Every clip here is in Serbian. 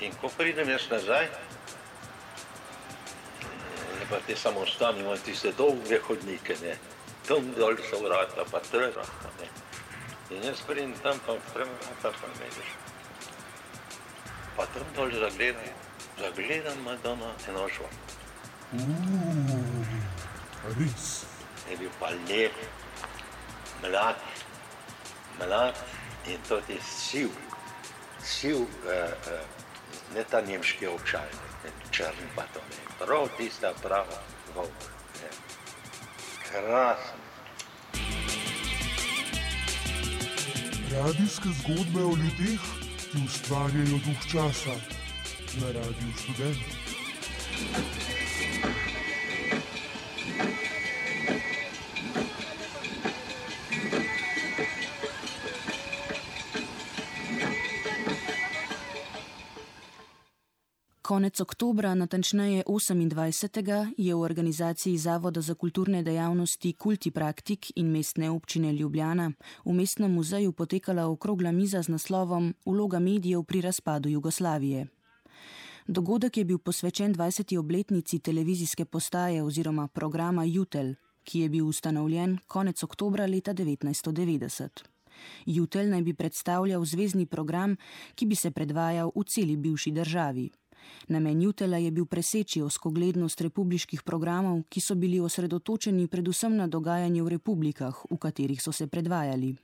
In ko pridem jaz nazaj, pa te samostani imajo tiste dolge hodnike, ne. Tam dol so vrata, pa trga, ne. In jaz pridem tam, pa odprem vrata, pa ne vidiš. Pa tam dol zagledam Madonna Enošva. Res. Je bil pa lep, mlad in tudi siv, ne ta nemški očaj, ne črn pa to ne, prav tista prava volk, ne. Krasen. Radijske zgodbe o ljudeh, ki ustvarjajo duh časa na Radiu Študent. Konec oktobra, natančneje 28. je v organizaciji Zavoda za kulturne dejavnosti Kultipraktik in Mestne občine Ljubljana v Mestnem muzeju potekala okrogla miza z naslovom Vloga medijev pri razpadu Jugoslavije. Dogodek je bil posvečen 20. obletnici televizijske postaje oziroma programa Jutelj, ki je bil ustanovljen konec oktobra leta 1990. Jutelj naj bi predstavljal zvezni program, ki bi se predvajal v celi bivši državi. Namen Jutelja je bil preseči ozkoglednost republiških programov, ki so bili osredotočeni predvsem na dogajanje v republikah, v katerih so se predvajali.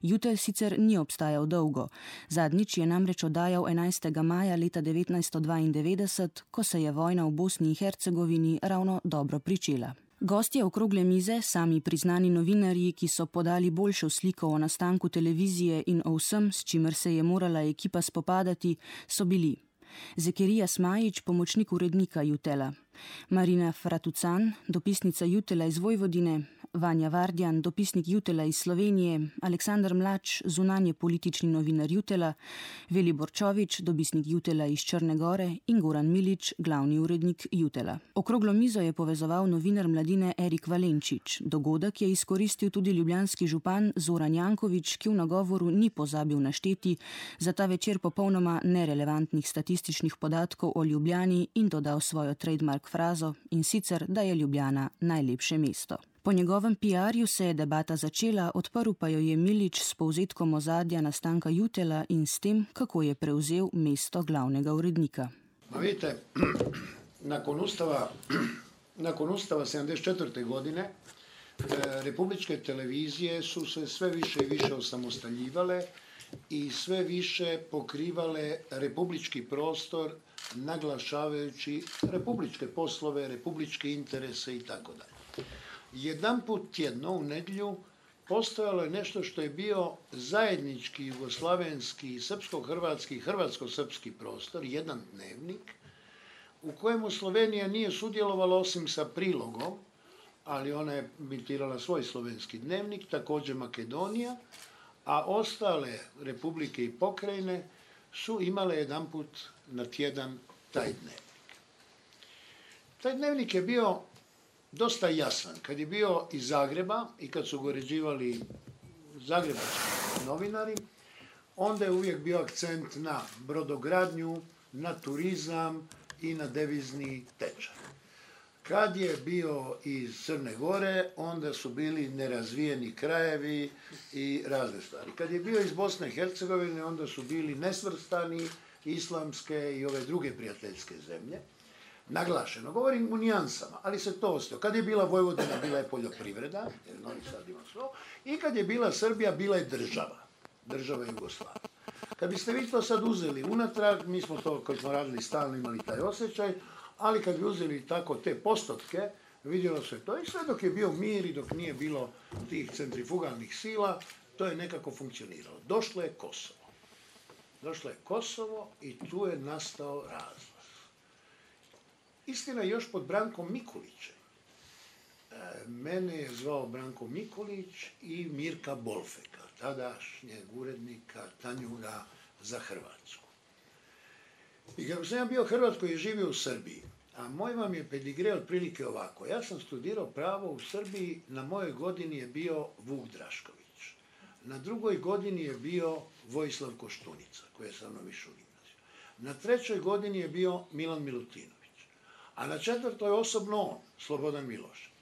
Jutelj sicer ni obstajal dolgo, zadnjič je namreč oddajal 11. maja leta 1992, ko se je vojna v Bosni in Hercegovini ravno dobro pričela. Gostje okrogle mize, sami priznani novinarji, ki so podali boljšo sliko o nastanku televizije in o vsem, s čimer se je morala ekipa spopadati, so bili Zekerija Smajić, pomočnik urednika Jutelja, Marina Fratucan, dopisnica Jutelja iz Vojvodine, Vanja Vardjan, dopisnik Jutelja iz Slovenije, Aleksandar Mlač, zunanje politični novinar Jutelja, Velibor Čovič, dopisnik Jutelja iz Črne Gore in Goran Milič, glavni urednik Jutelja. Okroglo mizo je povezoval novinar Mladine Erik Valenčič. Dogodek je izkoristil tudi ljubljanski župan Zoran Janković, ki v nagovoru ni pozabil našteti za ta večer popolnoma nerelevantnih statističnih podatkov o Ljubljani in dodal svojo trademark frazo, in sicer, da je Ljubljana najlepše mesto. Po njegovem PR-ju se je debata začela, odprl pa jo je Milič s povzetkom ozadja nastanka Jutelja in s tem, kako je prevzel mesto glavnega urednika. Vidite, nakon Ustava 74. godine republičke televizije su se sve više i više osamostaljivale i sve više pokrivale republički prostor, naglašavajući republičke poslove, republičke interese i tako dalje. Jedan put tjedno u nedjelju postojalo je nešto što je bio zajednički jugoslavenski, srpsko-hrvatski, hrvatsko-srpski prostor, jedan dnevnik, u kojemu Slovenija nije sudjelovala osim sa prilogom, ali ona je emitirala svoj slovenski dnevnik, također Makedonija, a ostale republike i pokrajine su imale jedan put na tjedan taj dnevnik. Taj dnevnik je bio dosta jasan. Kad je bio iz Zagreba i kad su ga uređivali zagrebački novinari, onda je uvijek bio akcent na brodogradnju, na turizam i na devizni tečaj. Kad je bio iz Crne Gore, onda su bili nerazvijeni krajevi i razne stvari. Kad je bio iz Bosne i Hercegovine, onda su bili nesvrstani, islamske i ove druge prijateljske zemlje. Naglašeno, govorim u nijansama, ali se to ostao. Kad je bila Vojvodina, bila je poljoprivreda, jer Novi Sad ima svo, i kad je bila Srbija, bila je država Jugoslavija. Kad biste vi to sad uzeli unatrag, mi smo to, koji smo radili stalno, imali taj osjećaj, ali kad bi uzeli tako te postotke, vidjelo se to i sve dok je bio mir i dok nije bilo tih centrifugalnih sila, to je nekako funkcioniralo. Došlo je Kosovo i tu je nastao razlaz. Istina još pod Brankom Mikulićem. Mene je zvao Branko Mikulić i Mirka Bolfeka, tadašnjeg urednika Tanjuga za Hrvatsku. I kako sam ja bio Hrvat koji je živio u Srbiji, a moj vam je pedigre otprilike ovako. Ja sam studirao pravo u Srbiji, na mojoj godini je bio Vuk Drašković. Na drugoj godini je bio Vojislav Koštunica, koji je sa mnom išao u gimnaziju. Na 3. godini je bio Milan Milutinović, a na 4. osobno on, Slobodan Milošević.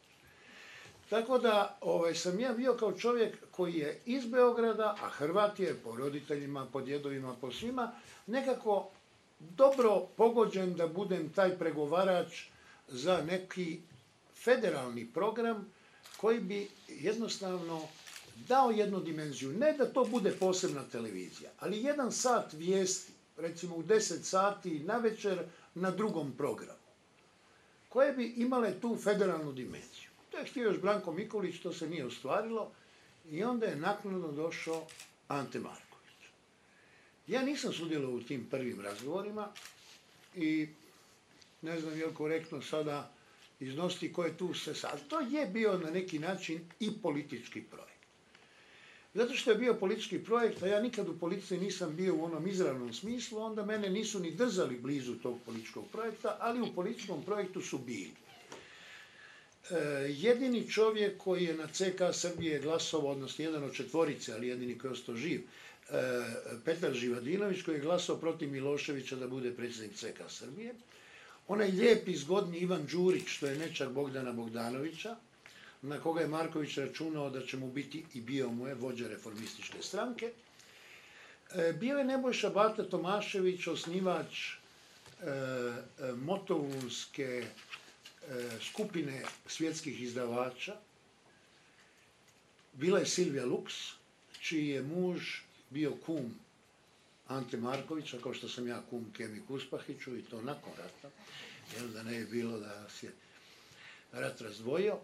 Tako da sam ja bio kao čovjek koji je iz Beograda, a Hrvat je po roditeljima, po djedovima, po svima, nekako dobro pogođen da budem taj pregovarač za neki federalni program koji bi jednostavno dao jednu dimenziju. Ne da to bude posebna televizija, ali 1 sat vijesti, recimo u 10 sati navečer na drugom programu, koje bi imale tu federalnu dimenziju. To je htio još Branko Mikulić, to se nije ostvarilo i onda je naknadno došao Ante Marković. Ja nisam sudjelovao u tim prvim razgovorima i ne znam je li korektno sada iznositi ko je tu se sad. To je bio na neki način i politički projekt. Zato što je bio politički projekt, a ja nikad u politici nisam bio u onom izravnom smislu, onda mene nisu ni držali blizu tog političkog projekta, ali u političkom projektu su bili. Jedini čovjek koji je na CK Srbije glasovao, odnosno jedan od 4, ali jedini koji je ostao živ, Petar Živadinović, koji je glasao protiv Miloševića da bude predsjednik CK Srbije. Onaj lijepi, zgodni Ivan Đurić, što je nečak Bogdana Bogdanovića, na koga je Marković računao da će mu biti, i bio mu je, vođa reformističke stranke. Bio je Nebojša Bata Tomašević, osnivač motovunske skupine svjetskih izdavača. Bila je Silvija Luks, čiji je muž bio kum Ante Markovića, kao što sam ja kum Kemi Kuspahiću, i to nakon rata, jer da ne je bilo da se rat razdvojio.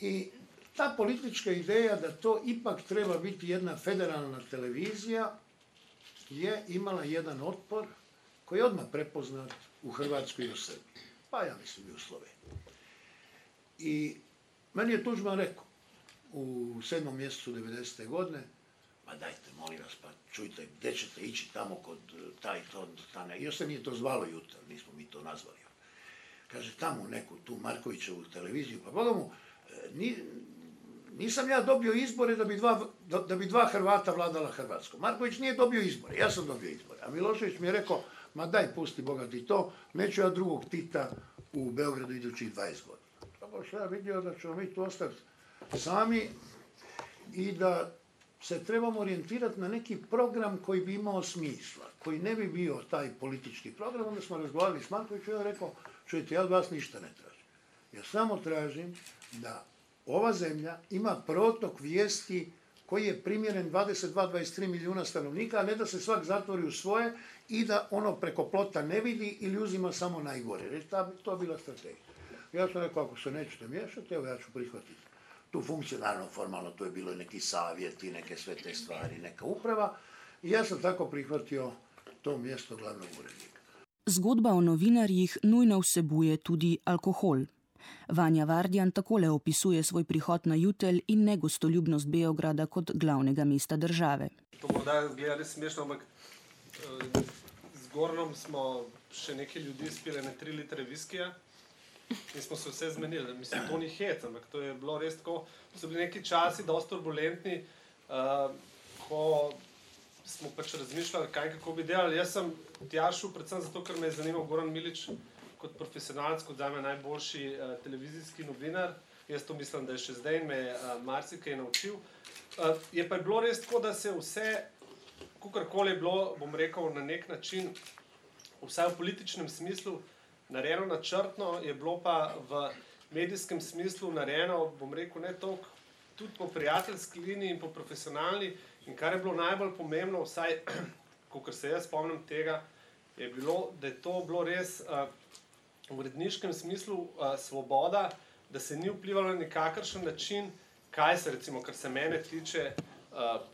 I ta politička ideja da to ipak treba biti jedna federalna televizija je imala jedan otpor koji je odmah prepoznat u Hrvatskoj i u Srbiji, pa ja mislim i u Sloveniji. I meni je Tuđman rekao u 7. mjesecu 90. godine, ma dajte, molim vas, pa čujte, gdje ćete ići tamo kod taj to, još se nije to zvalo Jutar, nismo mi to nazvali. Kaže, tamo neku tu Markovićevu televiziju, pa Boga mu, nisam ja dobio izbore da bi 2 Hrvata vladala Hrvatskom. Marković nije dobio izbore, ja sam dobio izbore. A Milošević mi je rekao, ma daj, pusti Boga ti to, neću ja drugog Tita u Beogradu idućih 20 godina. Tako što ja vidio da ćemo mi tu ostati sami i da se trebamo orijentirati na neki program koji bi imao smisla, koji ne bi bio taj politički program. Onda smo razgovarali s Markovićem i on rekao, čujte, ja od vas ništa ne tražim. Ja samo tražim da ova zemlja ima protok vijesti koji je primjeren 22-23 milijuna stanovnika, a ne da se svak zatvori u svoje i da ono preko plota ne vidi ili uzima samo najgore. Jer to je bila strategija. Ja sam rekao, ako se nećete miješati, evo ja ću prihvatiti tu funkciju, naravno formalno tu je bilo neki savjeti, neke sve te stvari, neka uprava i ja sam tako prihvatio to mjesto glavnog urednika. Zgodba o novinarjih nujno vsebuje tudi alkohol. Vanja Vardjan takole opisuje svoj prihod na Jutelj in negostoljubnost Beograda kot glavnega mesta države. To morda izgleda res smešno, ampak z Gornom smo še nekaj ljudi spili na 3 litre viskija in smo se vse zmenili. Mislim, to ni hec, ampak to je bilo res tako. So bili neki časi dosti turbulentni, ko smo pač razmišljali, kaj kako bi delali. Jaz sem tja šel predvsem zato, ker me je zanimal Goran Milič kot profesionalc, kot zame najboljši televizijski novinar. Jaz to mislim, da je še zdaj in me marsikaj naučil. Je pa bilo res tako, da se vse, kakorkoli je bilo, bom rekel, na nek način, vsaj v političnem smislu, narejeno načrtno, je bilo pa v medijskem smislu narejeno, bom rekel, ne toliko, tudi po prijateljski liniji in po profesionalni. In kar je bilo najbolj pomembno, vsaj, kakor se jaz spomnim tega, je bilo, da je to bilo res v uredniškem smislu svoboda, da se ni vplivalo na nikakršen način, kaj se, recimo, kar se mene tiče,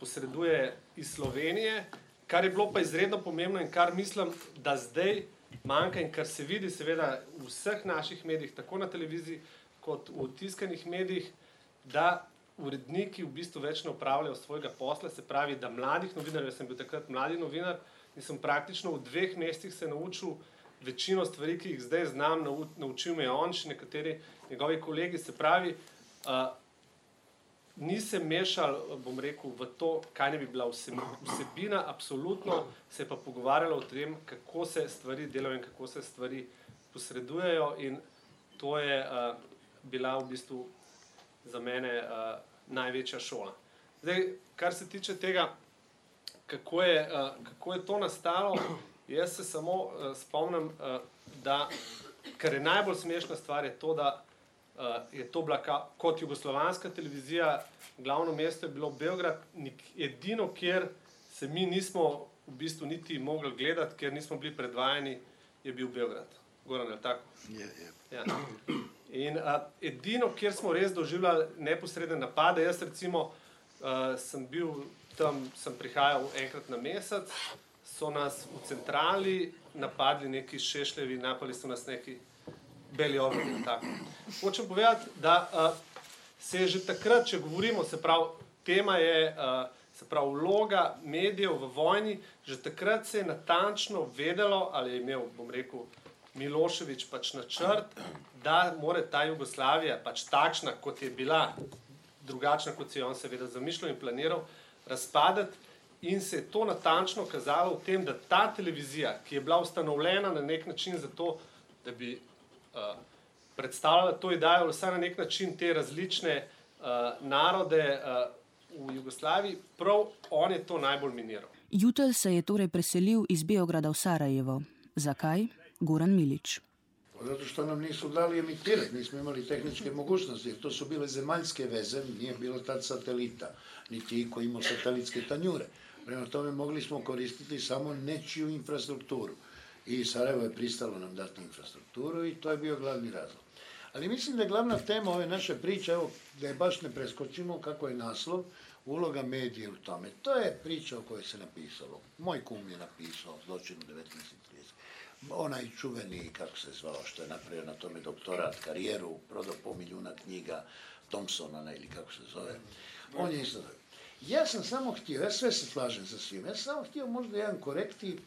posreduje iz Slovenije, kar je bilo pa izredno pomembno in kar mislim, da zdaj manjka in kar se vidi seveda v vseh naših medijih, tako na televiziji kot v tiskanih medijih, da uredniki v bistvu več ne opravljajo svojega posla, se pravi, da mladih novinarjev, jaz sem bil takrat mladi novinar in sem praktično v 2 mesecih se naučil večino stvari, ki jih zdaj znam, naučil me je on, še nekateri njegovi kolegi, se pravi, ni se mešal, bom rekel, v to, kaj ne bi bila vsebina, absolutno se je pa pogovarjalo o tem, kako se stvari delajo in kako se stvari posredujejo, in to je bila v bistvu za mene največja šola. Zdaj, kar se tiče tega, kako je to nastalo, jaz se samo spomnim, da kar je najbolj smešna stvar je to, da je to bila kot jugoslovanska televizija, glavno mesto je bilo Beograd, edino, kjer se mi nismo v bistvu niti mogli gledati, ker nismo bili predvajani, je bil Beograd. Goran, je tako? Ja. In edino, kjer smo res doživljali neposredne napade, jaz recimo sem bil tam, sem prihajal enkrat na mesec, so nas v centrali napadli neki Šešljevi, napali so nas neki beli obrni. Hočem povedati, da se je že takrat, če govorimo, se pravi, tema je, se pravi, vloga medijev v vojni, že takrat se je natančno vedelo, ali je imel, bom rekel, Milošević pač načrt, da more ta Jugoslavija, pač takšna, kot je bila, drugačna, kot si je on seveda zamišljal in planiral, razpadati, in se je to natančno kazalo v tem, da ta televizija, ki je bila ustanovljena na nek način zato, da bi predstavljala to idejo, vsaj na nek način te različne narode v Jugoslaviji, prav on je to najbolj miniral. Jutel se je torej preselil iz Beograda v Sarajevo. Zakaj? Goran Milić. Zato što nam nisu dali emitirati, nismo imali tehničke mogućnosti, jer to su bile zemaljske veze, nije bilo tad satelita, niti iko imao satelitske tanjure. Prema tome mogli smo koristiti samo nečiju infrastrukturu. I Sarajevo je pristalo nam dati infrastrukturu i to je bio glavni razlog. Ali mislim da je glavna tema ove naše priče, evo, da je baš ne preskočimo kako je naslov, uloga medije u tome. To je priča o kojoj se napisalo. Moj kum je napisao Zločin u 1930. Onaj čuveni, kako se zvao, što je napravio na tome doktorat, karijeru, prodao 500 milijuna knjiga, Thompsona, ili kako se zove. On je isto. Ja sam samo htio, ja sve se slažem sa svim, ja sam samo htio možda jedan korektiv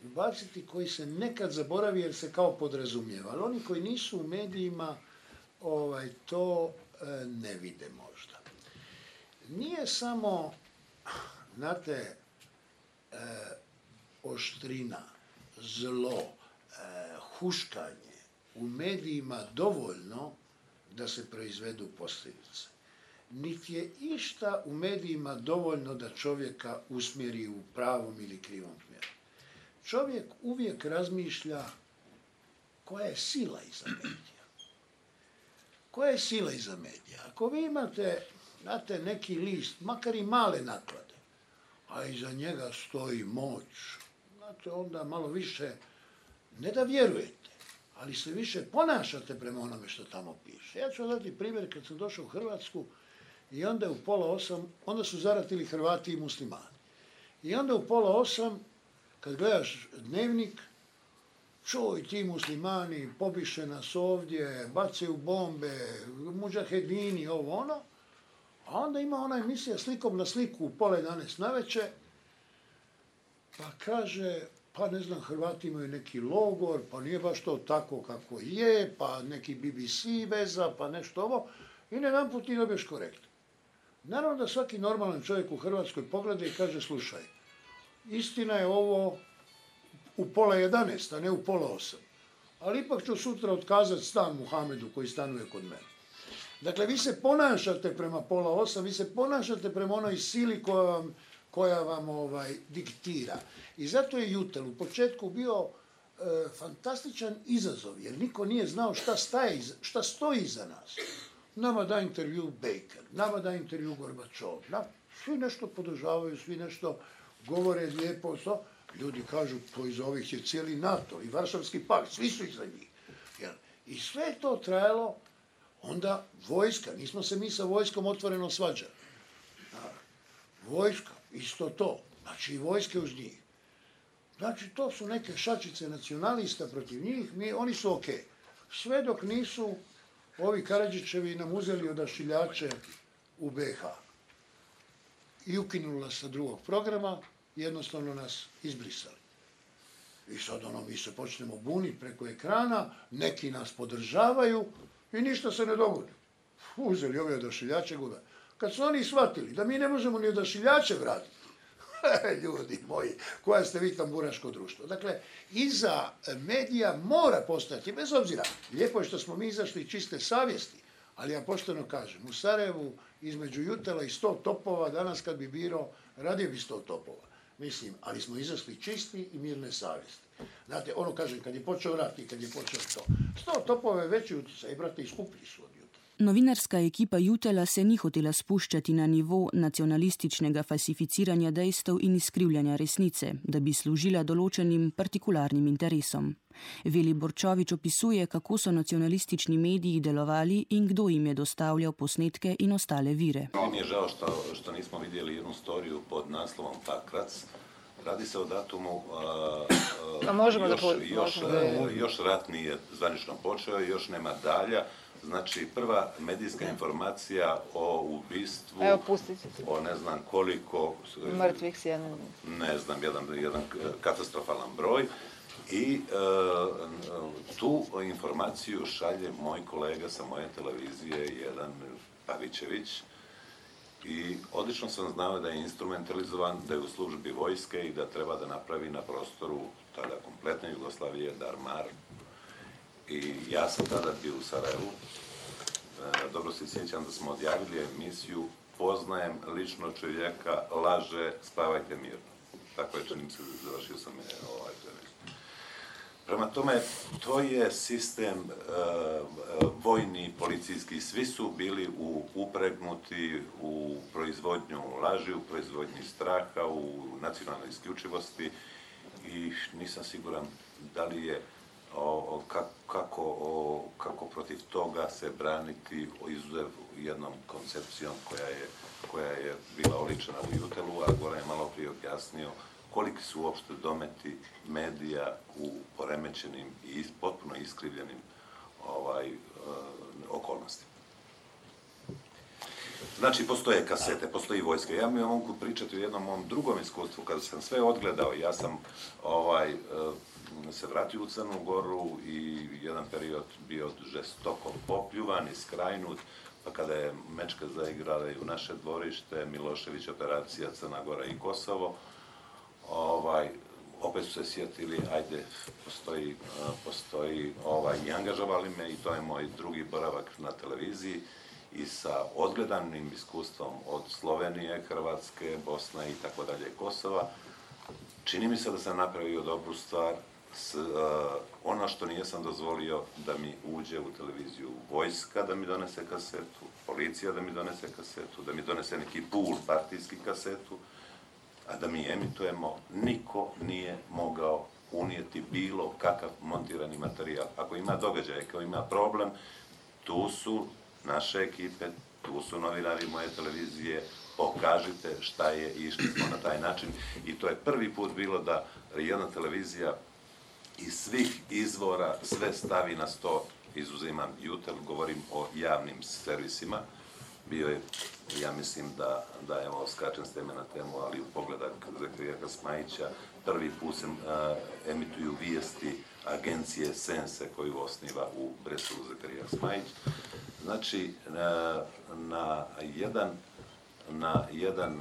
ubaciti koji se nekad zaboravi jer se kao podrazumijeva, ali oni koji nisu u medijima to ne vide možda. Nije samo, znate, oštrina, zlo, huškanje u medijima dovoljno da se proizvedu posljedice. Niti je išta u medijima dovoljno da čovjeka usmjeri u pravom ili krivom smjeru. Čovjek uvijek razmišlja koja je sila iza medija. Koja je sila iza medija? Ako vi imate, znate, neki list, makar i male naklade, a iza njega stoji moć, znate, onda malo više, ne da vjerujete, ali se više ponašate prema onome što tamo piše. Ja ću dati primjer kad sam došao u Hrvatsku i onda u 7:30, onda su zaratili Hrvati i muslimani. I onda u 7:30, kad gledaš dnevnik, čuj, ti muslimani pobiše nas ovdje, bacaju bombe, mudžahedini, ovo ono, a onda ima ona emisija Slikom na sliku u 10:30 navečer, pa kaže, pa ne znam, Hrvati imaju neki logor, pa nije baš to tako kako je, pa neki BBC veza, pa nešto ovo, i jedanput ti dobiješ korekt. Naravno da svaki normalan čovjek u Hrvatskoj pogleda i kaže, slušaj, istina je ovo u 10:30, a ne u 7:30. Ali ipak ću sutra otkazati stan Muhamedu koji stanuje kod mene. Dakle, vi se ponašate prema 7:30, vi se ponašate prema onoj sili koja vam diktira. I zato je Jutel u početku bio fantastičan izazov, jer niko nije znao šta stoji iza nas. Nama da intervju Baker, nama da intervju Gorbačov, svi nešto podržavaju, svi nešto govore lijepo, ljudi kažu, to iza ovih je cijeli NATO i Varšavski pakt, svi su iza njih. I sve je to trajalo, onda vojska, nismo se mi sa vojskom otvoreno svađali. Vojska, isto to, znači i vojske uz njih. Znači to su neke šačice nacionalista protiv njih, oni su ok. Sve dok nisu ovi Karadžićevi nam uzeli odašiljače u BiH i ukinuli nas sa drugog programa, jednostavno nas izbrisali. I sad mi se počnemo buniti preko ekrana, neki nas podržavaju i ništa se ne dogodi. Uzeli ove odašiljače, gube. Kad su oni shvatili da mi ne možemo ni odašiljače vratiti, ljudi moji, koja ste vi tamburaško društvo. Dakle, iza medija mora postojati, bez obzira, lijepo je što smo mi izašli čiste savjesti, ali ja pošteno kažem, u Sarajevu između Jutela i 100 topova, danas kad bi birao, radio bi 100 topova. Mislim, ali smo izašli čisti i mirne savjesti. Znate, ono kažem, kad je počeo rat i kad je počeo to, 100 topova je veći utjecaj, brate, i skuplji su od Jutela. Novinarska ekipa Jutela se ni hotela spuščati na nivo nacionalističnega falsificiranja dejstev in izkrivljanja resnice, da bi služila določenim partikularnim interesom. Veli Borčovič opisuje, kako so nacionalistični mediji delovali in kdo jim je dostavljal posnetke in ostale vire. Mi je žao što nismo vidjeli jednu storiju pod naslovom Pakrac. Radi se o datumu, još rat nije zvanično počeo, još nema dalja. Znači, prva medijska informacija o ubistvu, o ne znam koliko... Mrtvih si jedan... Ne znam, jedan katastrofalan broj. I tu informaciju šalje moj kolega sa moje televizije, jedan Pavićević. I odlično sam znao da je instrumentalizovan, da je u službi vojske i da treba da napravi na prostoru tada kompletne Jugoslavije Darmar. I ja sam tada bio u Sarajevu. Dobro se sjećam da smo odjavili emisiju Poznajem lično čovjeka, laže, spavajte mirno. Tako je, čini se, završio sam emisiju. Prema tome, to je sistem vojni, policijski, svi su bili upregnuti u proizvodnju laži, u proizvodnji straha, u nacionalnoj isključivosti i nisam siguran da li je kako protiv toga se braniti izuzev jednom koncepcijom koja je bila oličena u Jutelu, a Goran je malo prije objasnio koliki su uopšte dometi medija u poremećenim i potpuno iskrivljenim okolnostima. Znači, postoje kasete, postoji vojska. Ja mi mogu pričati o jednom mom drugom iskustvu, kada sam sve odgledao, ja sam se vratio u Crnu Goru i jedan period bio žestoko popljuvan i skrajnut, pa kada je mečka zaigrala i u naše dvorište, Milošević, operacija Crna Gora i Kosovo, opet su se sjetili, ajde, postoji i angažovali me i to je moj drugi boravak na televiziji i sa odgledanim iskustvom od Slovenije, Hrvatske, Bosne i tako dalje, Kosova. Čini mi se da sam napravio dobru stvar. Ono što nijesam dozvolio da mi uđe u televiziju vojska da mi donese kasetu, policija da mi donese kasetu, da mi donese neki pul partijski kasetu, a da mi emitujemo, niko nije mogao unijeti bilo kakav montirani materijal. Ako ima događaj, ako ima problem, tu su naše ekipe, tu su novinari moje televizije, pokažite šta je i išli smo na taj način. I to je prvi put bilo da jedna televizija iz svih izvora sve stavi na sto, izuzimam Jutel, govorim o javnim servisima. Bio je, ja mislim da evo, skačem s teme na temu, ali u pogledak Zakarija Kasmajića, prvi put se emituju vijesti agencije Sense koju osniva u Breslu Zakarija Kasmajić. Znači, na jedan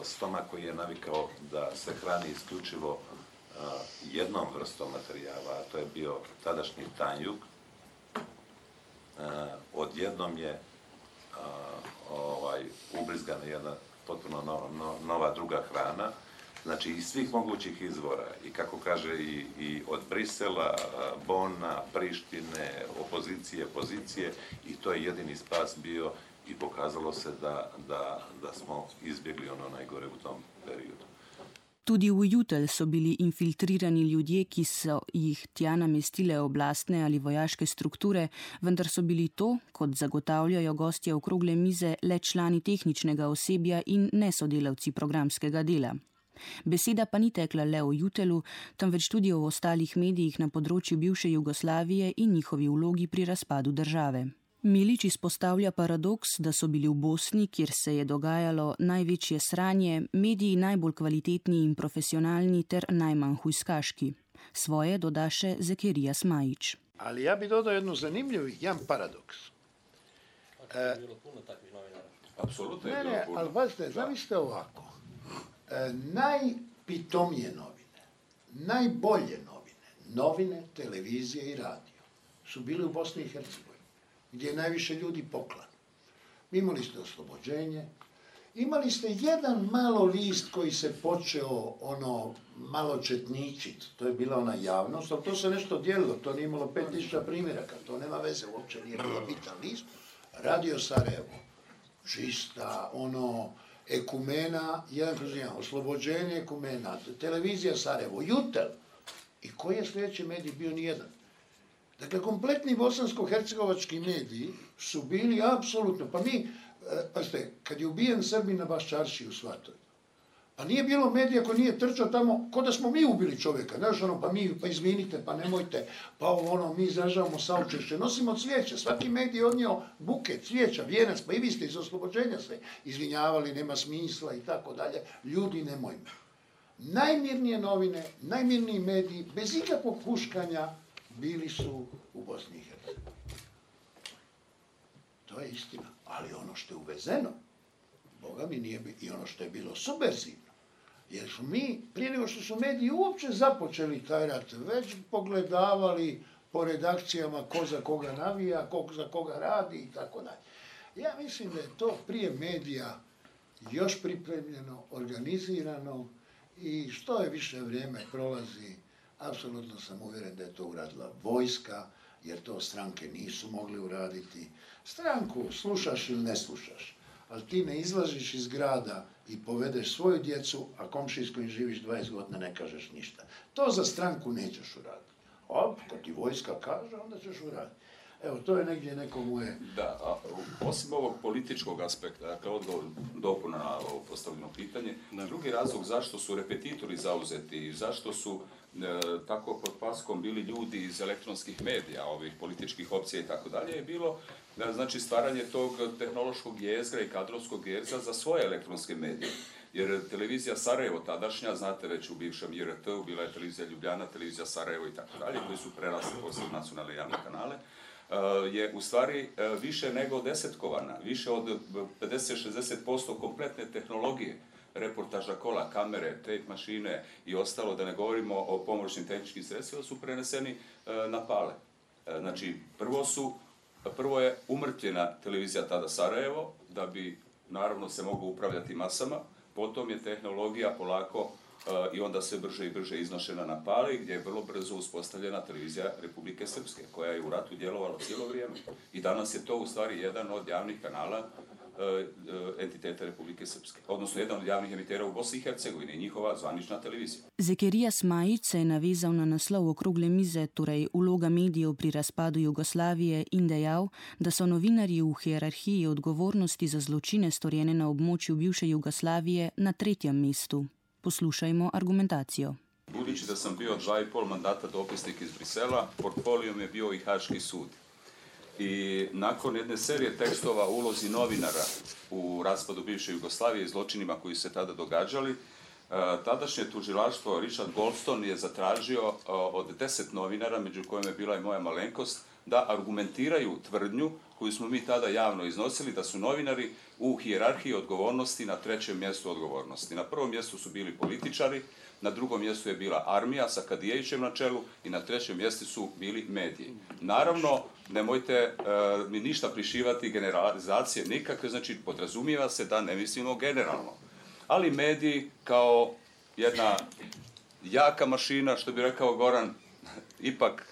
stomak koji je navikao da se hrani isključivo jednom vrstom materijala, a to je bio tadašnji tanjuk, odjednom je ubrizgana jedna potpuno nova druga hrana, znači iz svih mogućih izvora i kako kaže i od Brisela, Bona, Prištine, opozicije, pozicije i to je jedini spas bio i pokazalo se da smo izbjegli ono najgore u tom periodu. Tudi v Jutel so bili infiltrirani ljudje, ki so jih tja namestile oblastne ali vojaške strukture, vendar so bili to, kot zagotavljajo gostje okrogle mize, le člani tehničnega osebja in ne sodelavci programskega dela. Beseda pa ni tekla le o Jutelu, temveč tudi o ostalih medijih na področju bivše Jugoslavije in njihovi vlogi pri razpadu države. Milič izpostavlja paradoks, da so bili v Bosni, kjer se je dogajalo največje sranje, mediji najbolj kvalitetni in profesionalni ter najmanj hujskaški. Svoje doda še Zakarija Smajić. Ali ja bi dodao jedan paradoks. Bilo puno takvih novinara. Apsolutno je Ne, bilo ne, puno. ali pazite, zamislite ovako. Najpitomije novine, najbolje novine, televizije i radio su bili u Bosni i Hercegovini, gdje je najviše ljudi poklan. Imali ste Oslobođenje, imali ste jedan malo list koji se počeo malo četničit, to je bila ona javnost, ali to se nešto dijelilo, to nije imalo 5000 primjeraka, to nema veze, uopće nije bilo bitan list. Radio Sarajevo, čista, ekumena, 1/1, Oslobođenje, ekumena, televizija Sarajevo, Jutel. I koji je sljedeći medij bio? Nijedan. Dakle, kompletni bosansko-hercegovački mediji su bili apsolutno, pa mi, pazite, kad je ubijen Srbin na Baščaršiji u Svatoj, pa nije bilo medija koji nije trčao tamo, ko da smo mi ubili čovjeka, znaš pa izvinite, pa nemojte, pa mi izražavamo saučešće, nosimo cvijeće, svaki medij je odnio buket, cvijeća, vijenac, pa i vi ste iz Oslobođenja se izvinjavali, nema smisla i tako dalje, ljudi nemojmo. Najmirnije novine, najmirniji mediji, bez ikakvog huškanja, bili su u Bosni i Hercegovini. To je istina, ali ono što je uvezeno, Boga mi nije bilo, i ono što je bilo subverzivno, jer su mi, prije nego što su mediji uopće započeli taj rat, već pogledavali po redakcijama ko za koga navija, ko za koga radi i tako dalje. Ja mislim da je to prije medija još pripremljeno, organizirano i što je više vrijeme prolazi, apsolutno sam uvjeren da je to uradila vojska, jer to stranke nisu mogli uraditi. Stranku slušaš ili ne slušaš, ali ti ne izlaziš iz grada i povedeš svoju djecu, a komšiji s kojim živiš 20 godina ne kažeš ništa. To za stranku nećeš uraditi. A kad ti vojska kaže, onda ćeš uraditi. Evo, to je negdje neko moje... Da, a osim ovog političkog aspekta, dakle, odgovor dopuna na ovo postavljeno pitanje, drugi razlog zašto su repetitori zauzeti i zašto su tako pod paskom bili ljudi iz elektronskih medija, ovih političkih opcija i tako dalje, je bilo znači stvaranje tog tehnološkog jezgra i kadrovskog jezgra za svoje elektronske medije. Jer televizija Sarajevo tadašnja, znate već u bivšem IRT-u, bila je televizija Ljubljana, televizija Sarajevo i tako dalje, koji su prerasli poslije nacionalne javne kanale, je u stvari više nego desetkovana, više od 50-60% kompletne tehnologije, reportaža kola, kamere, tape mašine i ostalo, da ne govorimo o pomoćnim tehničkim sredstvima, su preneseni na pale. Znači, prvo je umrtvljena televizija tada Sarajevo, da bi naravno se moglo upravljati masama, potom je tehnologija polako i onda sve brže i brže iznošena na pali, gdje je vrlo brzo uspostavljena televizija Republike Srpske, koja je u ratu djelovala cijelo vrijeme. I danas je to u stvari jedan od javnih kanala entiteta Republike Srpske, odnosno jedan od javnih emitera u Bosni i Hercegovini i njihova zvanična televizija. Zekerija Smajić se je navezal na naslov okrogle mize, torej vloga medijev pri razpadu Jugoslavije, in dejal, da so novinarji v hierarhiji odgovornosti za zločine storjene na območju bivše Jugoslavije na 3. mestu. Poslušajmo argumentacijo. Budući da sam bio 2,5 mandata dopisnik iz Brisela, portfolijom je bio i Haški sud. I nakon jedne serije tekstova o ulozi novinara u raspadu bivše Jugoslavije i zločinima koji se tada događali, tadašnje tužilaštvo Richard Goldstone je zatražio od 10 novinara, među kojima je bila i moja malenkost, da argumentiraju tvrdnju koju smo mi tada javno iznosili, da su novinari u hijerarhiji odgovornosti na 3. mjestu odgovornosti. Na 1. mjestu su bili političari, na 2. mjestu je bila armija sa Kadijevićem na čelu i na 3. mjestu su bili mediji. Naravno, nemojte mi ništa prišivati generalizacije nikakve, znači podrazumijeva se da ne mislimo generalno. Ali mediji kao jedna jaka mašina, što bi rekao Goran, ipak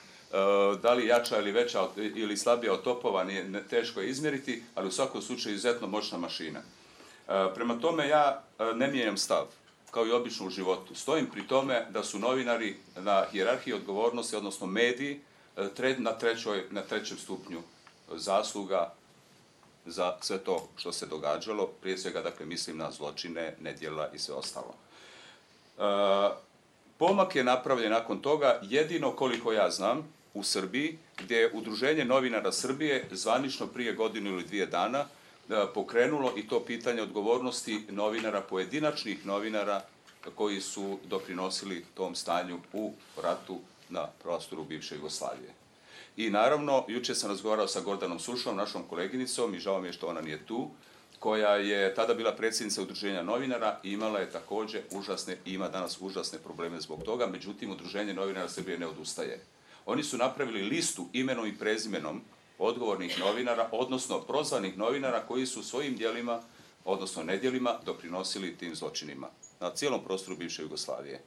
da li jača ili veća ili slabija od topova, teško je izmjeriti, ali u svakom slučaju izuzetno moćna mašina. Prema tome ja ne mijenjam stav, kao i obično u životu. Stojim pri tome da su novinari na hijerarhiji odgovornosti, odnosno mediji, na 3. stupnju zasluga za sve to što se događalo, prije svega, dakle, mislim na zločine, nedjela i sve ostalo. Pomak je napravljen nakon toga, jedino koliko ja znam, u Srbiji, gdje je Udruženje novinara Srbije zvanično prije 1 ili 2 dana pokrenulo i to pitanje odgovornosti novinara, pojedinačnih novinara koji su doprinosili tom stanju u ratu na prostoru bivše Jugoslavije. I naravno, jučer sam razgovarao sa Gordanom Sušom, našom koleginicom, i žao mi je što ona nije tu, koja je tada bila predsjednica Udruženja novinara i imala je također ima danas užasne probleme zbog toga, međutim Udruženje novinara Srbije ne odustaje. Oni su napravili listu imenom i prezimenom odgovornih novinara, odnosno prozvanih novinara koji su svojim djelima, odnosno nedjelima, doprinosili tim zločinima na cijelom prostoru bivše Jugoslavije.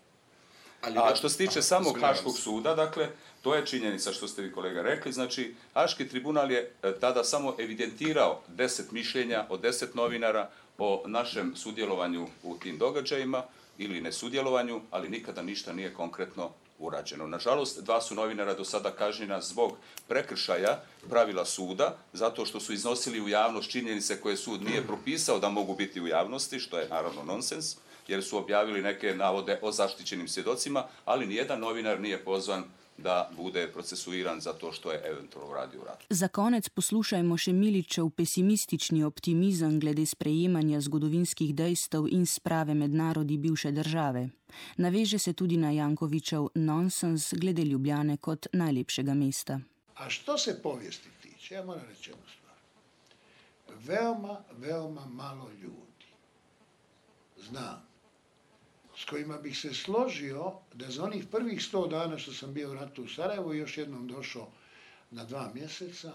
A što se tiče samog Haškog suda, dakle, to je činjenica što ste vi kolega rekli, znači Haški tribunal je tada samo evidentirao 10 mišljenja od 10 novinara o našem sudjelovanju u tim događajima ili nesudjelovanju, ali nikada ništa nije konkretno urađeno. Nažalost, 2 su novinara do sada kažnjena zbog prekršaja pravila suda, zato što su iznosili u javnost činjenice koje sud nije propisao da mogu biti u javnosti, što je naravno nonsens, jer su objavili neke navode o zaštićenim svjedocima, ali nijedan novinar nije pozvan da bude procesuiran za to što je eventualno radio u ratu. Za konec poslušajmo še Miličev pesimistični optimizem glede sprejemanja zgodovinskih dejstev in sprave med narodi bivše države. Naveže se tudi na Jankovićev nonsens glede Ljubljane kot najlepšega mesta. A što se povijesti tiče, ja moram reći jednu stvar. Veoma malo ljudi znam s kojima bih se složio da za onih prvih 100 dana što sam bio u ratu u Sarajevu i još jednom došao na 2 mjeseca,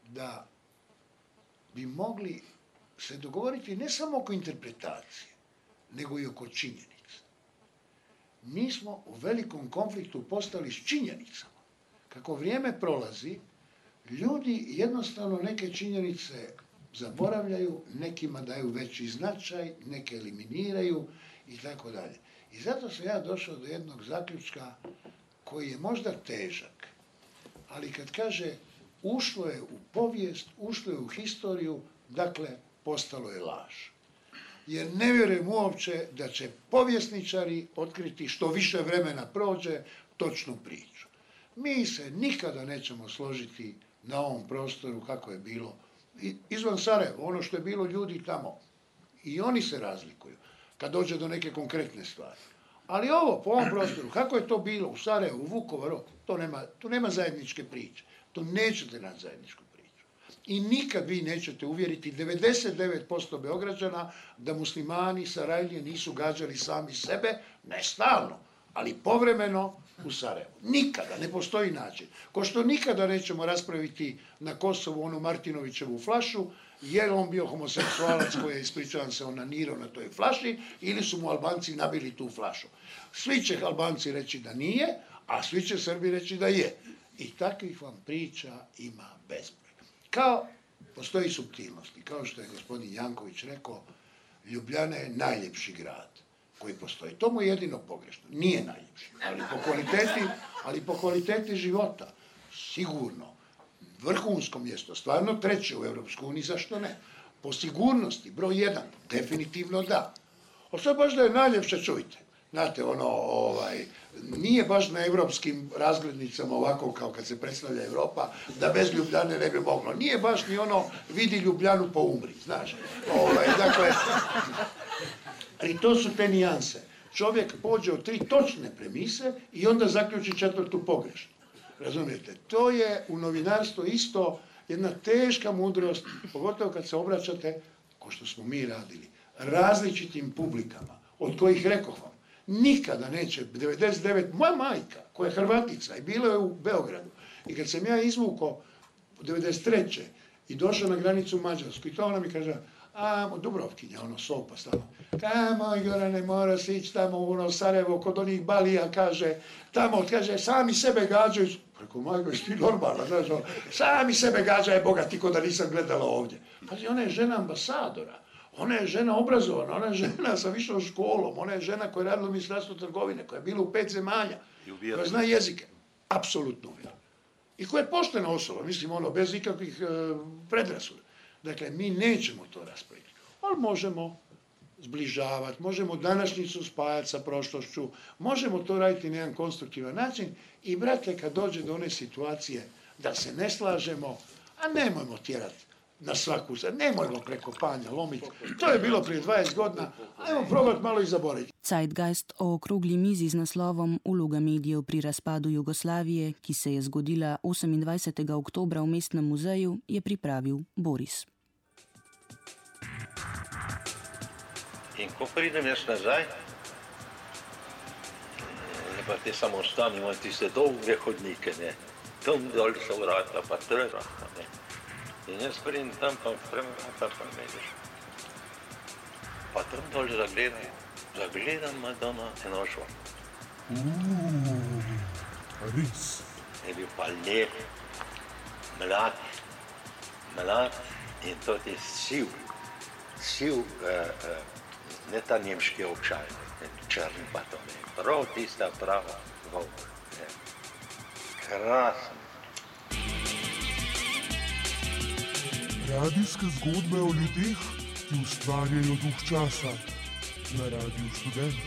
da bi mogli se dogovoriti ne samo oko interpretacije, nego i oko činjenica. Mi smo u velikom konfliktu postali s činjenicama. Kako vrijeme prolazi, ljudi jednostavno neke činjenice zaboravljaju, nekima daju veći značaj, neke eliminiraju i tako dalje. I zato sam ja došao do jednog zaključka koji je možda težak, ali kad kaže ušlo je u povijest, ušlo je u historiju, dakle postalo je laž. Jer ne vjerujem uopće da će povjesničari otkriti što više vremena prođe točnu priču. Mi se nikada nećemo složiti na ovom prostoru kako je bilo izvan Sarajeva, ono što je bilo ljudi tamo. I oni se razlikuju kad dođe do neke konkretne stvari. Ali ovo, po ovom prostoru, kako je to bilo u Sarajevu, u Vukovaru, to nema zajedničke priče. To nećete naći zajedničku priču. I nikad vi nećete uvjeriti 99% Beograđana da muslimani Sarajlije nisu gađali sami sebe, ne stalno, ali povremeno u Sarajevu. Nikada, ne postoji način. Ko što nikada nećemo raspraviti na Kosovu onu Martinovićevu flašu, je li on bio homoseksualac koji je, ispričavam se, onanirao na toj flaši, ili su mu Albanci nabili tu flašu. Svi će Albanci reći da nije, a svi će Srbi reći da je. I takvih vam priča ima bezbroj. Kao postoji suptilnosti, kao što je gospodin Janković rekao, Ljubljana je najljepši grad koji postoji. To mu je jedino pogrešno. Nije najljepši, ali po kvaliteti života, sigurno, vrhunsko mjesto, stvarno 3. u Europskoj uniji, zašto ne? Po sigurnosti, broj 1, definitivno da. O što baš da je najljepše, čujte. Znate, nije baš na europskim razglednicama ovako kao kad se predstavlja Europa, da bez Ljubljane ne bi moglo. Nije baš ni ono, vidi Ljubljanu pa umri, znaš. Dakle, ali to su te nijanse. Čovjek pođe od 3 točne premise i onda zaključi 4. pogrešnu. Razumijete? To je u novinarstvu isto jedna teška mudrost, pogotovo kad se obraćate, ko što smo mi radili, različitim publikama, od kojih rekoh vam, nikada neće, 99, moja majka, koja je Hrvatica i bila je u Beogradu, i kad sam ja izvukao 93. i došao na granicu Mađarsku, i to ona mi kaže, Dubrovkinja, sopa stalno. Moj Gorane, mora se ići tamo u Sarajevo, kod onih balija, kaže, sami sebe gađaju. Preko majko, jesi ti normalna, znaš, sami sebe gađaju, Boga ti ko da nisam gledala ovdje. Pazi, ona je žena ambasadora, ona je žena obrazovana, ona je žena sa višom školom, ona je žena koja je radila u Ministarstvu trgovine, koja je bila u 5 zemalja, koja zna jezike, apsolutno uvjerena. I koja je poštena osoba, mislim, bez ikakvih predrasuda. Dakle, mi nećemo to raspraviti, ali možemo zbližavati, možemo današnjicu spajati sa prošlošću, možemo to raditi na jedan konstruktivan način i, brate, kad dođe do one situacije da se ne slažemo, a nemojmo tjerati na svaku, nemojmo preko panja lomiti. To je bilo prije 20 godina, ajmo probati malo i zaboraviti. Zeitgeist o okrogli mizi z naslovom Uloga medijev pri razpadu Jugoslavije, ki se je zgodila 28. oktobra v Mestnem muzeju, je pripravil Boris. In ko pridem jaz nazaj, je pa te samostani, imajo tiste dolge hodnike, ne. Tam dol so vrata, pa trga, ne. In jaz pridem tam, pa odprem vrata, pa me vidiš. Pa tam dol zagledam Madonna eno šlo. Res. Je bil pa lep, mlad in tudi siv, ne ta nemški očaj, črn pa to ne, prav tista prava volk. Krasen. Radijske zgodbe o ljudeh, ki ustvarjajo duh časa na Radiu Študent.